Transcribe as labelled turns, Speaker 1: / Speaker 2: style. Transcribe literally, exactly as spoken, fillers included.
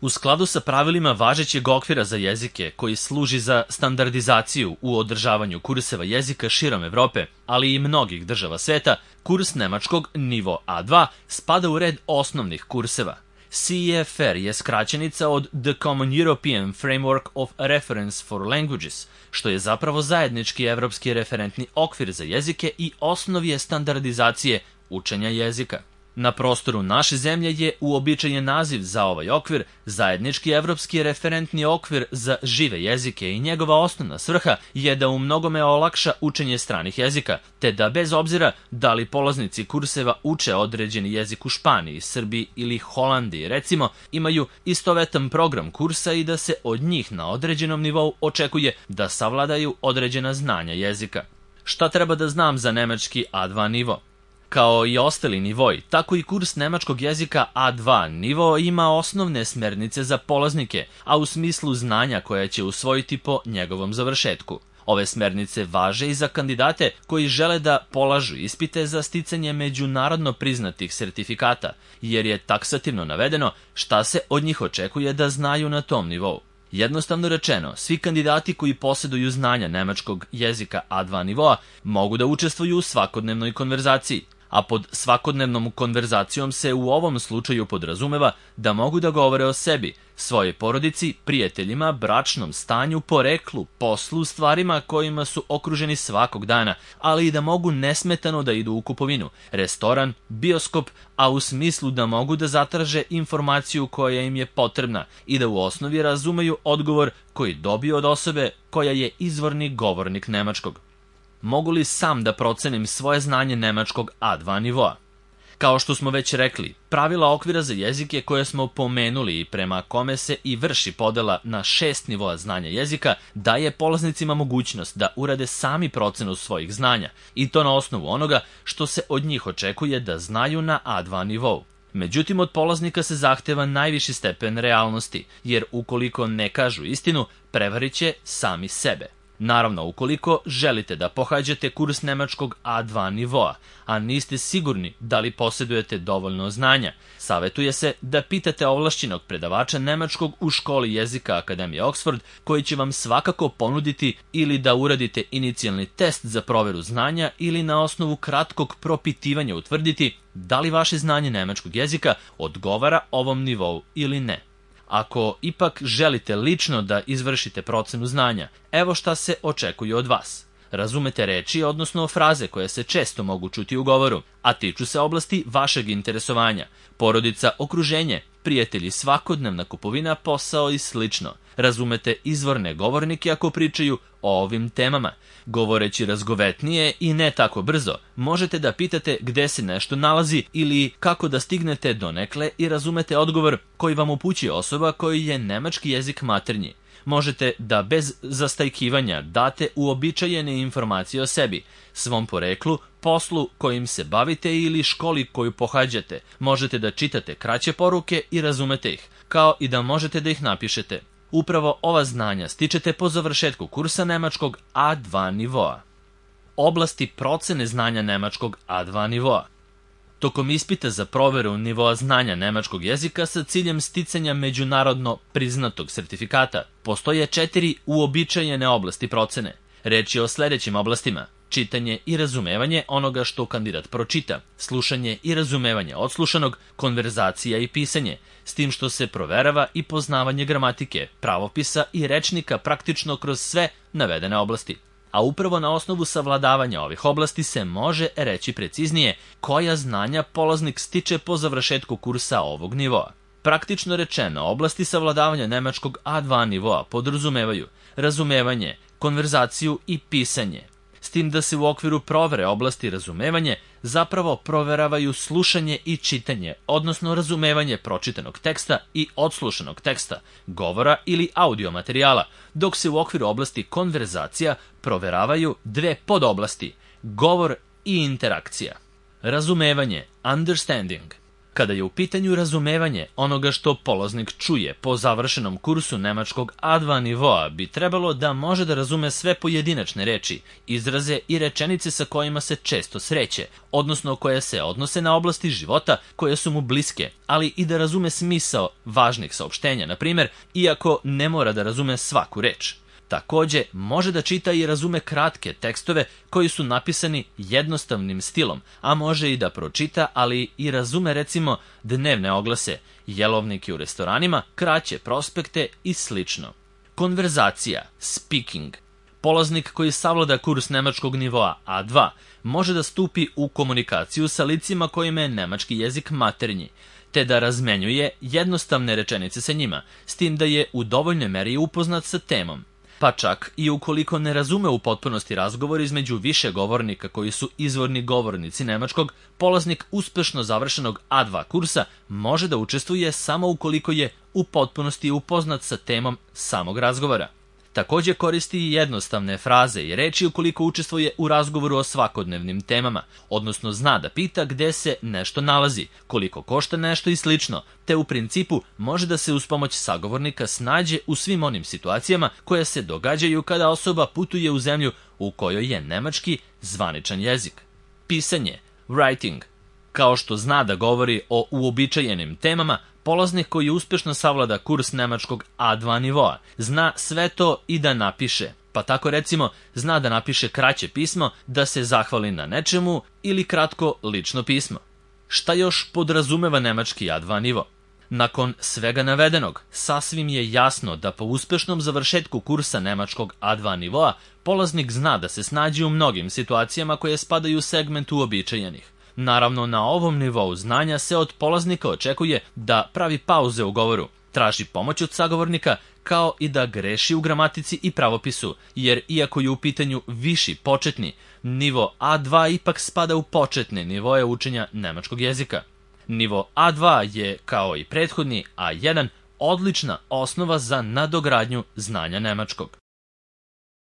Speaker 1: U skladu sa pravilima važećeg okvira za jezike koji služi za standardizaciju u održavanju kurseva jezika širom Evrope, ali i mnogih država sveta, kurs nemačkog nivo A dva spada u red osnovnih kurseva. C E F R je skraćenica od The Common European Framework of Reference for Languages, što je zapravo zajednički evropski referentni okvir za jezike i osnov je standardizacije učenja jezika. Na prostoru naše zemlje je uobičajen naziv za ovaj okvir zajednički evropski referentni okvir za žive jezike i njegova osnovna svrha je da u mnogome olakša učenje stranih jezika, te da bez obzira da li polaznici kurseva uče određeni jezik u Španiji, Srbiji ili Holandiji, recimo, imaju istovetan program kursa i da se od njih na određenom nivou očekuje da savladaju određena znanja jezika. Šta treba da znam za nemački A dva nivo? Kao i ostali nivoi, tako i kurs nemačkog jezika A dva nivo ima osnovne smernice za polaznike, a u smislu znanja koja će usvojiti po njegovom završetku. Ove smernice važe i za kandidate koji žele da polažu ispite za sticanje međunarodno priznatih sertifikata, jer je taksativno navedeno šta se od njih očekuje da znaju na tom nivou. Jednostavno rečeno, svi kandidati koji posjeduju znanja nemačkog jezika A dva nivoa mogu da učestvuju u svakodnevnoj konverzaciji, a pod svakodnevnom konverzacijom se u ovom slučaju podrazumeva da mogu da govore o sebi, svojoj porodici, prijateljima, bračnom stanju, poreklu, poslu, stvarima kojima su okruženi svakog dana, ali i da mogu nesmetano da idu u kupovinu, restoran, bioskop, a u smislu da mogu da zatraže informaciju koja im je potrebna i da u osnovi razumeju odgovor koji dobiju od osobe koja je izvorni govornik nemačkog. Mogu li sam da procenim svoje znanje nemačkog A dva nivoa? Kao što smo već rekli, pravila okvira za jezike koje smo pomenuli i prema kome se i vrši podela na šest nivoa znanja jezika daje polaznicima mogućnost da urade sami procenu svojih znanja i to na osnovu onoga što se od njih očekuje da znaju na A dva nivou. Međutim, od polaznika se zahteva najviši stepen realnosti, jer ukoliko ne kažu istinu, prevarit će sami sebe. Naravno, ukoliko želite da pohađate kurs nemačkog A dva nivoa, a niste sigurni da li posjedujete dovoljno znanja, savetuje se da pitate ovlašćenog predavača nemačkog u školi jezika Akademije Oxford, koji će vam svakako ponuditi ili da uradite inicijalni test za proveru znanja ili na osnovu kratkog propitivanja utvrditi da li vaše znanje nemačkog jezika odgovara ovom nivou ili ne. Ako ipak želite lično da izvršite procenu znanja, evo šta se očekuje od vas. Razumete reči, odnosno fraze koje se često mogu čuti u govoru, a tiču se oblasti vašeg interesovanja, porodica, okruženje, prijatelji, svakodnevna kupovina, posao i slično. Razumete izvorne govornike ako pričaju o ovim temama. Govoreći razgovetnije i ne tako brzo, možete da pitate gde se nešto nalazi ili kako da stignete donekle i razumete odgovor koji vam upućuje osoba koji je nemački jezik maternji. Možete da bez zastajkivanja date uobičajene informacije o sebi, svom poreklu, poslu kojim se bavite ili školi koju pohađate. Možete da čitate kraće poruke i razumete ih, kao i da možete da ih napišete. Upravo ova znanja stičete po završetku kursa nemačkog A dva nivoa. Oblasti procene znanja nemačkog A dva nivoa. Tokom ispita za proveru nivoa znanja nemačkog jezika sa ciljem sticanja međunarodno priznatog sertifikata, postoje četiri uobičajene oblasti procene. Reč je o sledećim oblastima: čitanje i razumevanje onoga što kandidat pročita, slušanje i razumevanje odslušanog, konverzacija i pisanje, s tim što se proverava i poznavanje gramatike, pravopisa i rečnika praktično kroz sve navedene oblasti. A upravo na osnovu savladavanja ovih oblasti se može reći preciznije koja znanja polaznik stiče po završetku kursa ovog nivoa. Praktično rečeno, oblasti savladavanja nemačkog A dva nivoa podrazumevaju razumevanje, konverzaciju i pisanje. S tim da se u okviru provere oblasti razumevanje zapravo proveravaju slušanje i čitanje, odnosno razumevanje pročitanog teksta i odslušanog teksta, govora ili audio materijala, dok se u okviru oblasti konverzacija proveravaju dve podoblasti, govor i interakcija. Razumevanje, understanding. Kada je u pitanju razumevanje onoga što polaznik čuje po završenom kursu nemačkog A dva nivoa, bi trebalo da može da razume sve pojedinačne reči, izraze i rečenice sa kojima se često sreće, odnosno koje se odnose na oblasti života koje su mu bliske, ali i da razume smisao važnih saopštenja, na primjer, iako ne mora da razume svaku reč. Takođe, može da čita i razume kratke tekstove koji su napisani jednostavnim stilom, a može i da pročita, ali i razume recimo dnevne oglase, jelovnike u restoranima, kraće prospekte i slično. Konverzacija, speaking. Polaznik koji savlada kurs nemačkog nivoa A dva može da stupi u komunikaciju sa licima kojima je nemački jezik maternji, te da razmenjuje jednostavne rečenice sa njima, s tim da je u dovoljnoj meri upoznat sa temom. Pa čak i ukoliko ne razume u potpunosti razgovor između više govornika koji su izvorni govornici nemačkog, polaznik uspešno završenog A dva kursa može da učestvuje samo ukoliko je u potpunosti upoznat sa temom samog razgovora. Takođe koristi i jednostavne fraze i reči ukoliko učestvuje u razgovoru o svakodnevnim temama, odnosno zna da pita gde se nešto nalazi, koliko košta nešto i slično, te u principu može da se uz pomoć sagovornika snađe u svim onim situacijama koje se događaju kada osoba putuje u zemlju u kojoj je nemački zvaničan jezik. Pisanje, writing. Kao što zna da govori o uobičajenim temama, polaznik koji uspešno savlada kurs nemačkog A dva nivoa zna sve to i da napiše, pa tako recimo zna da napiše kraće pismo, da se zahvali na nečemu ili kratko lično pismo. Šta još podrazumeva nemački A dva nivo? Nakon svega navedenog, sasvim je jasno da po uspešnom završetku kursa nemačkog A dva nivoa polaznik zna da se snađe u mnogim situacijama koje spadaju u segment uobičajenih. Naravno, na ovom nivou znanja se od polaznika očekuje da pravi pauze u govoru, traži pomoć od sagovornika, kao i da greši u gramatici i pravopisu, jer iako je u pitanju viši početni, nivo A dva ipak spada u početne nivoe učenja nemačkog jezika. Nivo A dva je, kao i prethodni A jedan, odlična osnova za nadogradnju znanja nemačkog.